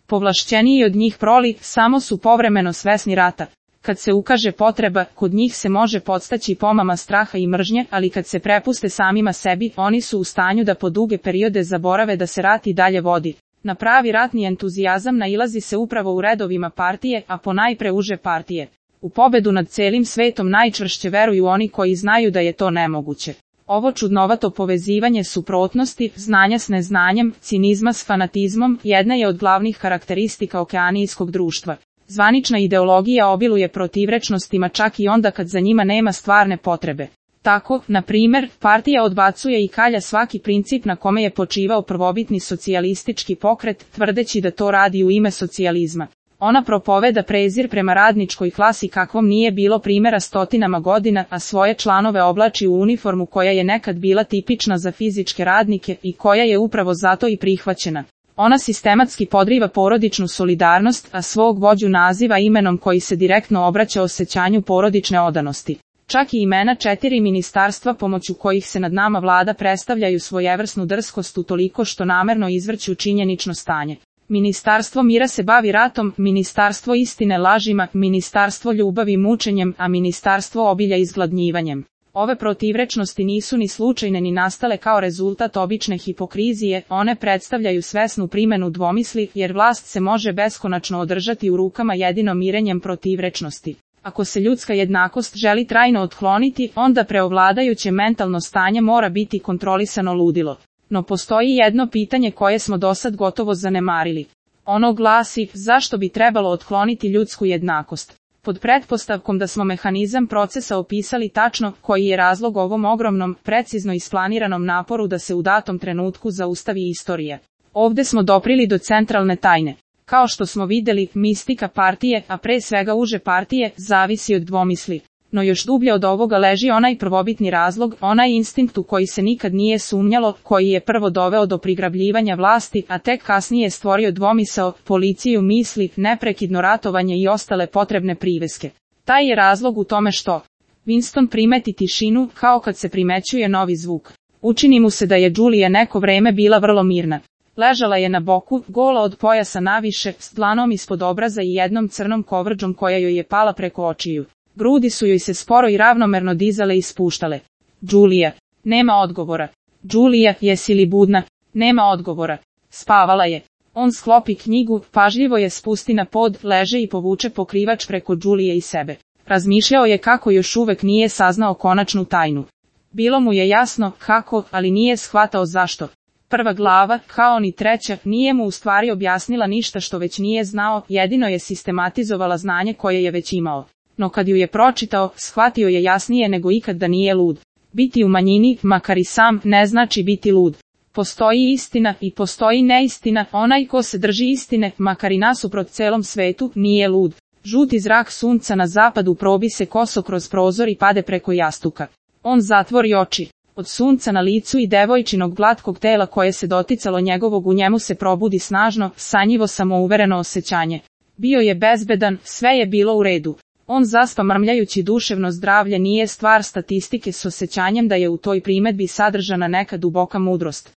Povlašćeniji od njih proli samo su povremeno svesni rata. Kad se ukaže potreba, kod njih se može podstaći pomama straha i mržnje, ali kad se prepuste samima sebi, oni su u stanju da po duge periode zaborave da se rat i dalje vodi. Na pravi ratni entuzijazam nailazi se upravo u redovima partije, a ponajpre uže partije. U pobedu nad celim svetom najčvršće veruju oni koji znaju da je to nemoguće. Ovo čudnovato povezivanje suprotnosti, znanja s neznanjem, cinizma s fanatizmom, jedna je od glavnih karakteristika okeanijskog društva. Zvanična ideologija obiluje protivrečnostima čak i onda kad za njima nema stvarne potrebe. Tako, na primjer, partija odbacuje i kalja svaki princip na kome je počivao prvobitni socijalistički pokret, tvrdeći da to radi u ime socijalizma. Ona propoveda prezir prema radničkoj klasi kakvom nije bilo primjera stotinama godina, a svoje članove oblači u uniformu koja je nekad bila tipična za fizičke radnike i koja je upravo zato i prihvaćena. Ona sistematski podriva porodičnu solidarnost, a svog vođu naziva imenom koji se direktno obraća osjećanju porodične odanosti. Čak i imena 4 ministarstva pomoću kojih se nad nama vlada predstavljaju svojevrsnu drskost utoliko što namerno izvrću činjenično stanje. Ministarstvo mira se bavi ratom, ministarstvo istine lažima, ministarstvo ljubavi mučenjem, a ministarstvo obilja izgladnjivanjem. Ove protivrečnosti nisu ni slučajne ni nastale kao rezultat obične hipokrizije, one predstavljaju svesnu primjenu dvomisli, jer vlast se može beskonačno održati u rukama jedino mirenjem protivrečnosti. Ako se ljudska jednakost želi trajno otkloniti, onda preovladajuće mentalno stanje mora biti kontrolisano ludilo. No postoji jedno pitanje koje smo dosad gotovo zanemarili. Ono glasi, zašto bi trebalo otkloniti ljudsku jednakost? Pod pretpostavkom da smo mehanizam procesa opisali tačno, koji je razlog ovom ogromnom, precizno isplaniranom naporu da se u datom trenutku zaustavi istorija. Ovdje smo doprili do centralne tajne. Kao što smo vidjeli, mistika partije, a pre svega uže partije, zavisi od dvomisli. No još dublje od ovoga leži onaj prvobitni razlog, onaj instinkt u koji se nikad nije sumnjalo, koji je prvo doveo do prigrabljivanja vlasti, a tek kasnije stvorio dvomisao, policiju misli, neprekidno ratovanje i ostale potrebne priveske. Taj je razlog u tome što Winston primeti tišinu, kao kad se primećuje novi zvuk. Učini mu se da je Julia neko vreme bila vrlo mirna. Ležala je na boku, gola od pojasa naviše, s dlanom ispod obraza i jednom crnom kovrđom koja joj je pala preko očiju. Grudi su joj se sporo i ravnomerno dizale i spuštale. Julia. Nema odgovora. Julia, jesi li budna? Nema odgovora. Spavala je. On sklopi knjigu, pažljivo je spusti na pod, leže i povuče pokrivač preko Julije i sebe. Razmišljao je kako još uvek nije saznao konačnu tajnu. Bilo mu je jasno kako, ali nije shvatao zašto. Prva glava, kao ni treća, nije mu u stvari objasnila ništa što već nije znao, jedino je sistematizovala znanje koje je već imao. No kad ju je pročitao, shvatio je jasnije nego ikad da nije lud. Biti u manjini, makar i sam, ne znači biti lud. Postoji istina i postoji neistina, onaj ko se drži istine, makar i nasuprot celom svetu, nije lud. Žuti zrak sunca na zapadu probi se koso kroz prozor i pade preko jastuka. On zatvori oči. Od sunca na licu i devojčinog glatkog tela koje se doticalo njegovog u njemu se probudi snažno, sanjivo samouvereno osjećanje. Bio je bezbedan, sve je bilo u redu. On zaspa mrmljajući duševno zdravlje nije stvar statistike s osjećanjem da je u toj primedbi sadržana neka duboka mudrost.